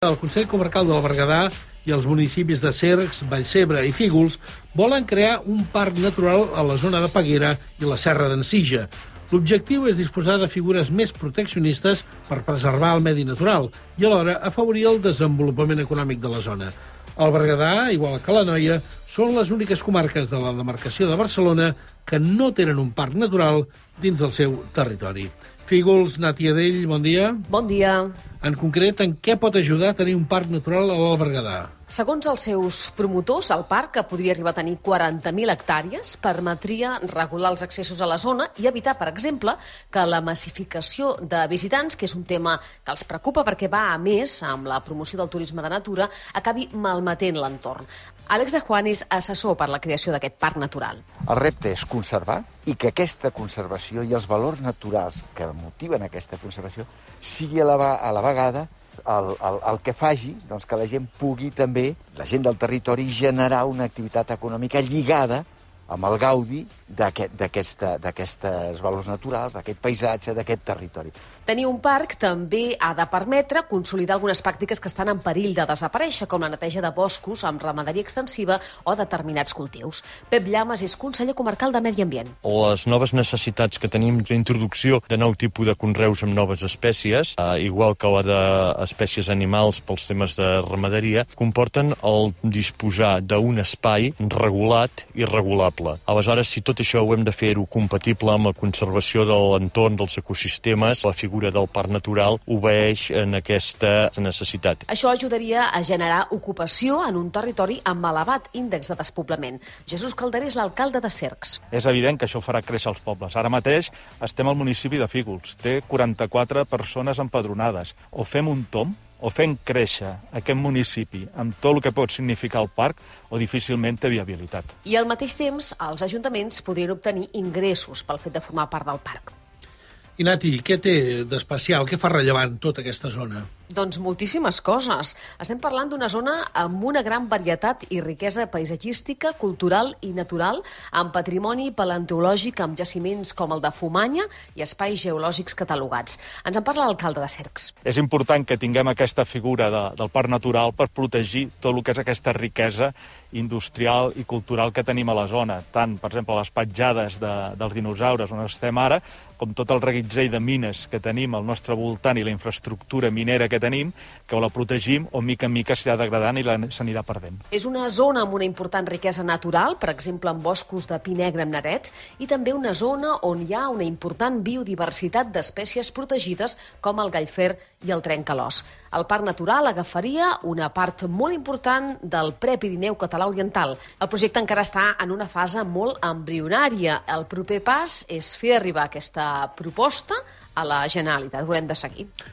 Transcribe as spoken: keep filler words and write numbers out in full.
El Consell Comarcal del Berguedà i els municipis de Cercs, Vallcebre i Fígols volen crear un parc natural a la zona de Peguera i la Serra d'en Sija. L'objectiu és disposar de figures més proteccionistes per preservar el medi natural i alhora afavorir el desenvolupament econòmic de la zona. El Berguedà, igual que l'Anoia, són les úniques comarques de la demarcació de Barcelona que no tenen un parc natural dins del seu territori. Fígols, Nàtia Dell, bon dia. Bon dia. En concret, en què pot ajudar a tenir un parc natural a l'Alt Berguedà? Segons els seus promotors, el parc, que podria arribar a tenir quaranta mil hectàrees, permetria regular els accessos a la zona i evitar, per exemple, que la massificació de visitants, que és un tema que els preocupa perquè va a més amb la promoció del turisme de natura, acabi malmetent l'entorn. Àlex de Juan és assessor per la creació d'aquest parc natural. El repte és conservar i que aquesta conservació i els valors naturals que motiven aquesta conservació sigui a la, a la vegada el, el, el que faci doncs, que la gent pugui també, la gent del territori, generar una activitat econòmica lligada amb el gaudi d'aquests valors naturals, d'aquest paisatge, d'aquest territori. Tenir un parc també ha de permetre consolidar algunes pràctiques que estan en perill de desaparèixer, com la neteja de boscos amb ramaderia extensiva o determinats cultius. Pep Llamas és conseller comarcal de Medi Ambient. Les noves necessitats que tenim d'introducció de nou tipus de conreus amb noves espècies, eh, igual que la d'espècies animals pels temes de ramaderia, comporten el disposar d'un espai regulat i regulable. Aleshores, si tot això ho hem de fer-ho compatible amb la conservació de l'entorn, dels ecosistemes, la figura del parc natural obeeix en aquesta necessitat. Això ajudaria a generar ocupació en un territori amb elevat índex de despoblament. Jesús Calderé és l'alcalde de Cercs. És evident que això farà créixer els pobles. Ara mateix estem al municipi de Fígols. Té quaranta-quatre persones empadronades. O fem un tomb, o fem créixer aquest municipi amb tot el que pot significar el parc, o difícilment té viabilitat. I al mateix temps, els ajuntaments podrien obtenir ingressos pel fet de formar part del parc. I Nati, què té d'especial? Què fa rellevant tota aquesta zona? Doncs moltíssimes coses. Estem parlant d'una zona amb una gran varietat i riquesa paisatgística, cultural i natural, amb patrimoni paleontològic, amb jaciments com el de Fumanya i espais geològics catalogats. Ens en parla l'alcalde de Cercs. És important que tinguem aquesta figura de, del parc natural per protegir tot el que és aquesta riquesa industrial i cultural que tenim a la zona. Tant, per exemple, les petjades de, dels dinosaures on estem ara, com tot el reguitzell de mines que tenim al nostre voltant i la infraestructura minera que tenim, que o la protegim o mica en mica s'anirà degradant i s'anirà perdent. És una zona amb una important riquesa natural, per exemple amb boscos de pi negre amb naret, i també una zona on hi ha una important biodiversitat d'espècies protegides com el gallfer i el trencalòs. El parc natural agafaria una part molt important del Prepirineu català oriental. El projecte encara està en una fase molt embrionària. El proper pas és fer arribar aquesta proposta a la Generalitat. Ho haurem de seguir.